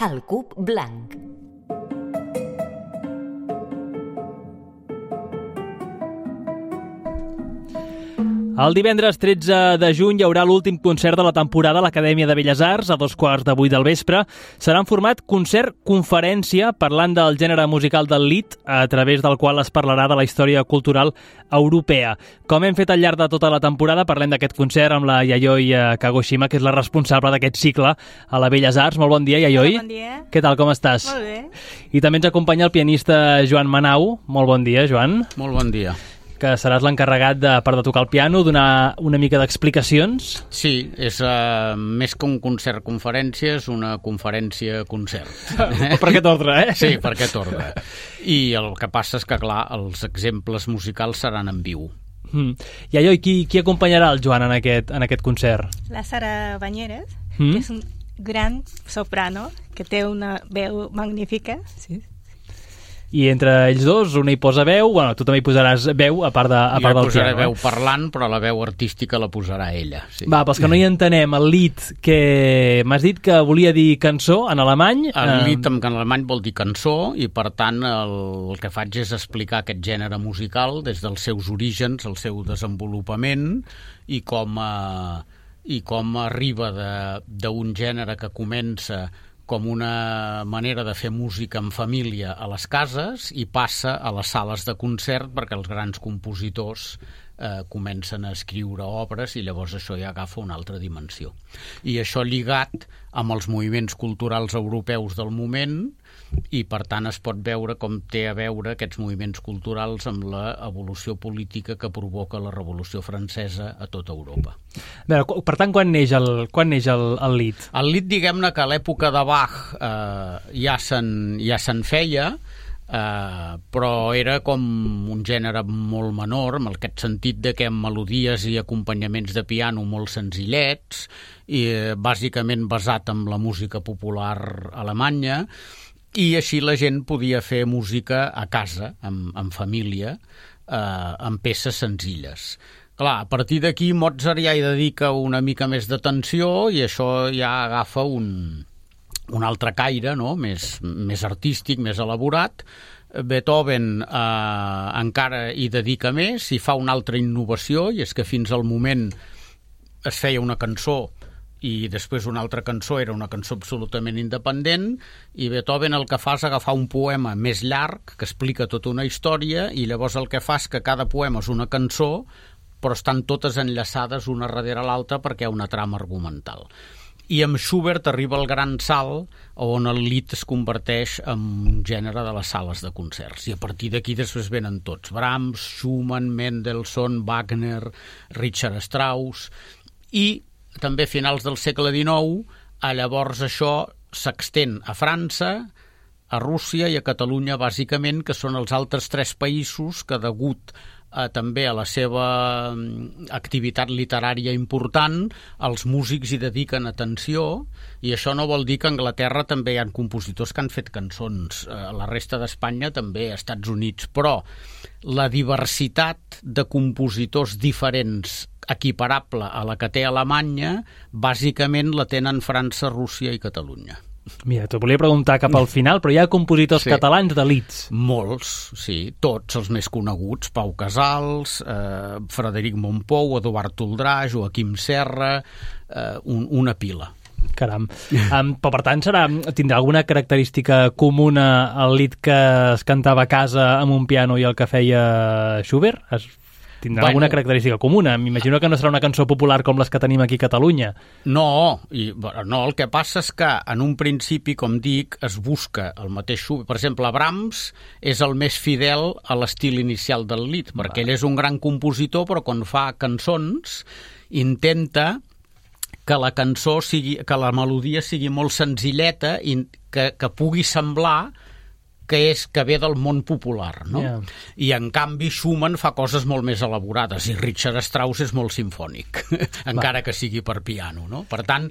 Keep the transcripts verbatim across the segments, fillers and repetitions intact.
El Cub Blanc. El divendres tretze de juny hi haurà l'últim concert de la temporada a l'Acadèmia de Belles Arts a dos quarts de vuit del vespre. Serà en format concert-conferència parlant del gènere musical del lied, a través del qual es parlarà de la història cultural europea. Com hem fet al llarg de tota la temporada, parlem d'aquest concert amb la Yayoi Kagoshima, que és la responsable d'aquest cicle a la Belles Arts. Molt bon dia, Yayoi. Bon dia. Què tal, com estàs? Molt bé. I també ens acompanya el pianista Joan Manau. Molt bon dia, Joan. Molt bon dia. Que seràs l'encarregat de, per de tocar el piano, donar una mica d'explicacions. Sí, és uh, més que un concert-conferència, és una conferència-concert. Per aquest ordre, eh? Sí, per aquest ordre. I el que passa és que, clar, els exemples musicals seran en viu. Mm. I allò, qui, qui acompanyarà el Joan en aquest, en aquest concert? La Sara Banyeres, mm. que és un gran soprano, que té una veu magnífica, sí. I entre ells dos, una hi posa veu, bueno, tu també hi posaràs veu, a part, de, a part del piano. Jo posaré veu parlant, però la veu artística la posarà ella. Sí. Va, pels que no hi entenem, el lied, que m'has dit que volia dir cançó en alemany. El lied en alemany vol dir cançó, i per tant el, el que faig és explicar aquest gènere musical des dels seus orígens, el seu desenvolupament, i com, eh, i com arriba d'un gènere que comença com una manera de fer música en família a les cases i passa a les sales de concert perquè els grans compositors eh, comencen a escriure obres i llavors això ja agafa una altra dimensió. I això lligat amb els moviments culturals europeus del moment, i per tant es pot veure com té a veure aquests moviments culturals amb l'evolució política que provoca la Revolució Francesa a tota Europa. A veure, per tant, quan neix el, quan neix el, el lied? El lied, diguem-ne que a l'època de Bach eh, ja se'n ja se'n feia, eh, però era com un gènere molt menor, en aquest sentit de que amb melodies i acompanyaments de piano molt senzillets, i eh, bàsicament basat en la música popular alemanya, i així la gent podia fer música a casa, en, en família, eh, amb peces senzilles. Clar, a partir d'aquí Mozart ja hi dedica una mica més d'atenció i això ja agafa un, un altre caire, no? més, més artístic, més elaborat. Beethoven eh, encara hi dedica més i fa una altra innovació, i és que fins al moment es feia una cançó i després una altra cançó era una cançó absolutament independent, i Beethoven el que fa és agafar un poema més llarg que explica tota una història, i llavors el que fa és que cada poema és una cançó, però estan totes enllaçades una darrere l'altra perquè hi ha una trama argumental. I amb Schubert arriba el gran salt on el lied es converteix en un gènere de les sales de concerts, i a partir d'aquí després venen tots: Brahms, Schumann, Mendelssohn, Wagner, Richard Strauss, i també a finals del segle dinou, a llavors això s'extén a França, a Rússia i a Catalunya, bàsicament, que són els altres tres països que, degut a, també a la seva activitat literària important, els músics hi dediquen atenció, i això no vol dir que a Anglaterra també hi ha compositors que han fet cançons, a la resta d'Espanya també, a Estats Units, però la diversitat de compositors diferents equiparable a la que té Alemanya, bàsicament la tenen França, Rússia i Catalunya. Mira, t'ho volia preguntar cap al final, però hi ha compositors sí. catalans de lieds. Molts, sí, tots els més coneguts: Pau Casals, eh, Frederic Montpou, Eduard Toldrà, Joaquim Serra, eh, un, una pila. Caram. Um, però per tant serà, tindrà alguna característica comuna al lied que es cantava a casa amb un piano i el que feia Schubert? Es Tindrà bueno, alguna característica comuna. M'imagino que no serà una cançó popular com les que tenim aquí a Catalunya. No, i, no, el que passa és que en un principi, com dic, es busca el mateix Schubert. Per exemple, Brahms és el més fidel a l'estil inicial del lied, Va. perquè ell és un gran compositor, però quan fa cançons intenta que la cançó sigui, que la melodia sigui molt senzilleta i que, que pugui semblar que és que ve del món popular, no? Yeah. I en canvi Schumann fa coses molt més elaborades, i Richard Strauss és molt simfònic, encara que sigui per piano, no? Per tant,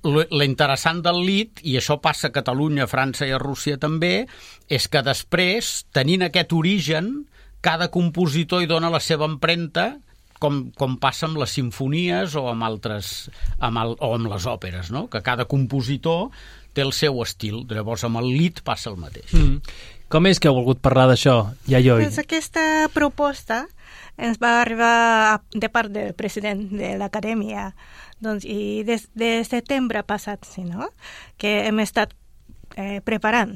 l'interessant del lied, i això passa a Catalunya, a França i a Rússia també, és que després, tenint aquest origen, cada compositor hi dona la seva empremta com, com passa amb les simfonies o amb altres amb el, o amb les òperes, no? Que cada compositor té el seu estil. Llavors amb el Lied passa el mateix. Mm. Com és que heu volgut parlar d'això, Yayoi? Pues aquesta proposta ens va arribar de part del president de l'acadèmia, doncs, i des de setembre passat, sí, no? Que hem estat eh, preparant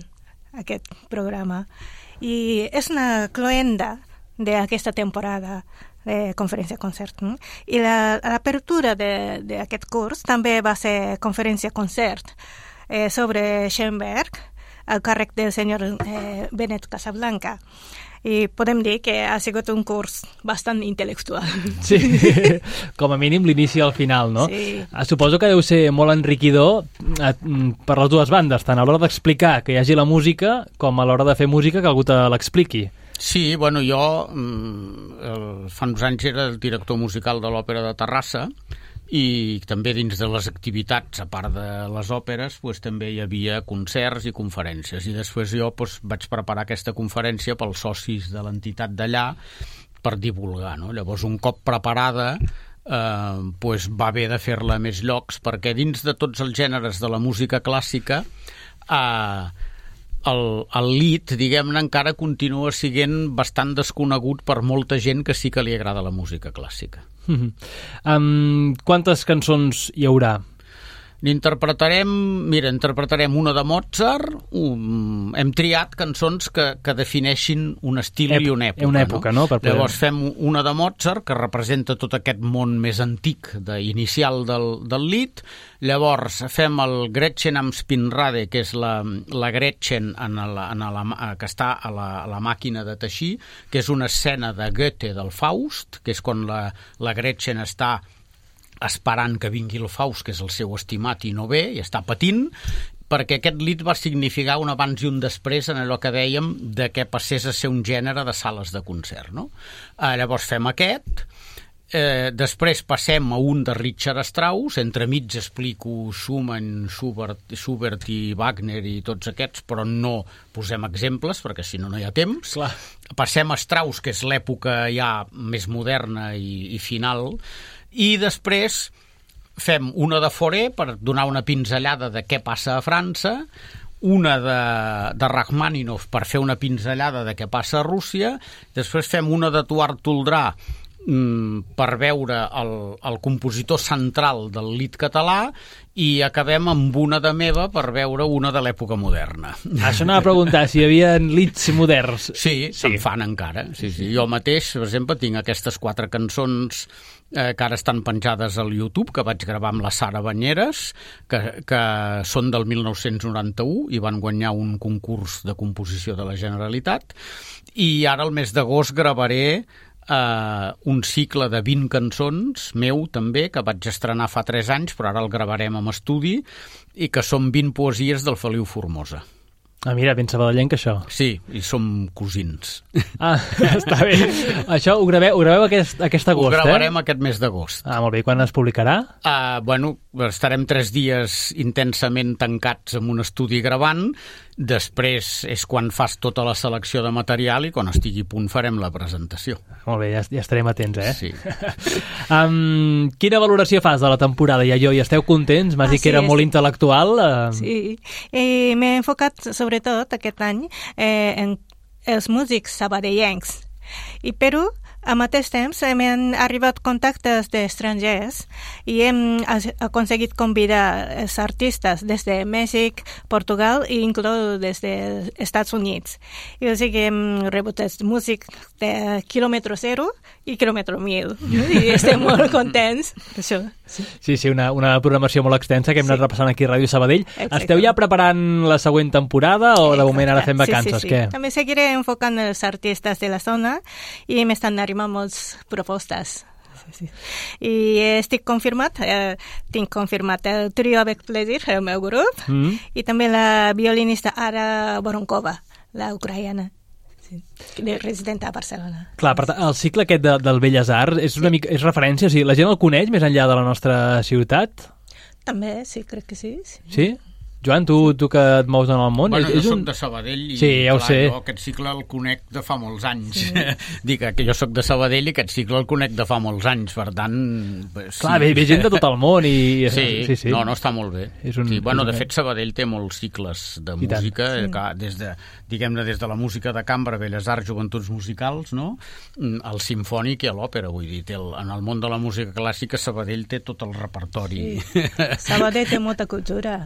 aquest programa. I és una cloenda d'aquesta temporada de conferència-concert. No? I l'apertura la, d'aquest curs també va ser conferència-concert eh, sobre Schoenberg, al càrrec del senyor eh, Benet Casablanca. I podem dir que ha sigut un curs bastant intel·lectual. Sí, com a mínim l'inici al final, no? Sí. Suposo que deu ser molt enriquidor per les dues bandes, tant a l'hora d'explicar que hi hagi la música com a l'hora de fer música que algú te l'expliqui. Sí, bueno, jo eh, fa uns anys era el director musical de l'Òpera de Terrassa i també dins de les activitats, a part de les òperes, pues, també hi havia concerts i conferències. I després jo pues, vaig preparar aquesta conferència pels socis de l'entitat d'allà per divulgar. No? Llavors, un cop preparada, eh, pues, va haver de fer-la a més llocs, perquè dins de tots els gèneres de la música clàssica, eh, el, el Lied, diguem-ne, encara continua sent bastant desconegut per molta gent que sí que li agrada la música clàssica. Mm-hmm. Um, quantes cançons hi haurà? N'interpretarem, mira, interpretarem una de Mozart, um, hem triat cançons que, que defineixin un estil Ep i una època. Una època, no? no? Per poder... Llavors fem una de Mozart, que representa tot aquest món més antic, de, inicial del, del Lied. Llavors fem el Gretchen am Spinnrad, que és la, la Gretchen en la, en la, que està a la, a la màquina de teixir, que és una escena de Goethe del Faust, que és quan la, la Gretchen està esperant que vingui el Faust, que és el seu estimat i no ve, i està patint, perquè aquest Lied va significar un abans i un després en allò que dèiem de que passés a ser un gènere de sales de concert. No? Eh, llavors fem aquest, eh, després passem a un de Richard Strauss, entremig explico Schumann, Schubert, Schubert i Wagner i tots aquests, però no posem exemples, perquè si no no hi ha temps. Clar. Passem a Strauss, que és l'època ja més moderna i, i final, i després fem una de Fauré per donar una pinzellada de què passa a França, una de, de Rachmaninoff per fer una pinzellada de què passa a Rússia, després fem una de Tuart Toldrà mm, per veure el, el compositor central del Lied català i acabem amb una de meva per veure una de l'època moderna. Això anava a preguntar si hi havia Lieds moderns. Sí, sí. Se'n fan encara. Sí, sí. Jo mateix, per exemple, tinc aquestes quatre cançons eh, que ara estan penjades al YouTube, que vaig gravar amb la Sara Banyeres, que, que són del mil nou-cents noranta-u i van guanyar un concurs de composició de la Generalitat. I ara, al mes d'agost, gravaré Uh, un cicle de vint cançons meu també, que vaig estrenar fa tres anys, però ara el gravarem amb estudi, i que són vint poesies del Feliu Formosa. Ah, mira, ben sabadellenc, això. Sí, i som cosins. Ah, està bé. Això ho graveu, ho graveu aquest, aquest agost, eh? Ho gravarem eh? aquest mes d'agost. Ah, molt bé. I quan es publicarà? Uh, bueno, estarem tres dies intensament tancats en un estudi gravant. Després és quan fas tota la selecció de material i quan estigui a punt farem la presentació. Molt bé, ja, ja estarem atents, eh? Sí. um, quina valoració fas de la temporada, Yayoi? Esteu contents? M'has ah, dit que sí, era és... molt intel·lectual. Uh... Sí, eh, m'he enfocat sobretot aquest any eh, en els músics sabadellencs. I però, al mateix temps, m'han arribat contactes d'estrangers i hem aconseguit convidar els artistes des de Mèxic, Portugal i inclús des dels Estats Units. I o sigui, hem rebut els músics de quilòmetre zero i quilòmetre mil. I estem molt contents per això. Sí, sí, sí una, una programació molt extensa que hem sí. anat repassant aquí a Ràdio Sabadell. Exacte. Esteu ja preparant la següent temporada o de moment ara fem vacances? Sí, sí, sí. Què? També seguiré enfocant els artistes de la zona i m'estan arribant moltes propostes. Sí, sí. I estic confirmat, eh, tinc confirmat el trio Avec Plaisir, el meu grup, mm. i també la violinista Ara Voronkova, la ucraïana, sí, resident a Barcelona. Clar, per tant, el cicle aquest de, del Belles Arts és, una sí. mica, és referència, o sigui, la gent el coneix més enllà de la nostra ciutat? També, sí, crec que sí. Sí? Sí? Joan, tu, tu que et mous en el món... Bueno, és, és jo un... soc de Sabadell i sí, ja ho clar, sé. jo aquest cicle el conec de fa molts anys. Sí. Dic que jo soc de Sabadell i aquest cicle el conec de fa molts anys, per tant... Sí. Clar, ve, ve gent de tot el món i... Sí, sí, sí. no, no, està molt bé. És un, sí, bueno, és un... de fet, Sabadell té molts cicles de I música, sí. que, des de, diguem-ne, des de la música de cambra, Belles Arts, Joventuts Musicals, no? Al simfònic i a l'òpera, vull dir, té el, en el món de la música clàssica Sabadell té tot el repertori. Sí. Sabadell té molta cultura.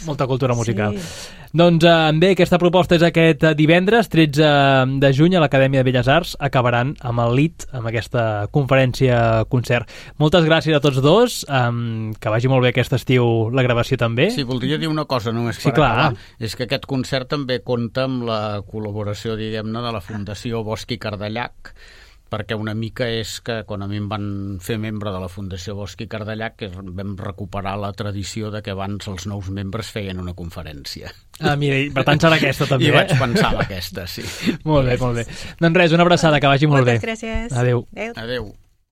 Molta cultura musical. Sí. Doncs eh, bé, aquesta proposta és aquest divendres, tretze de juny, a l'Acadèmia de Belles Arts. Acabaran amb el L I T, amb aquesta conferència-concert. Moltes gràcies a tots dos, um, que vagi molt bé aquest estiu la gravació també. Sí, voldria dir una cosa només per sí, clar. acabar. És que aquest concert també compta amb la col·laboració, diguem-ne, de la Fundació Bosch i Cardellac, perquè una mica és que quan a mi em van fer membre de la Fundació Bosch i Cardellac que vam recuperar la tradició de que abans els nous membres feien una conferència. Ah, mira, per tant serà aquesta també. I vaig pensar en aquesta, sí. Molt bé, molt bé. Doncs res, una abraçada, que vagi molt Moltes bé. gràcies. Adéu. Adéu. Adéu.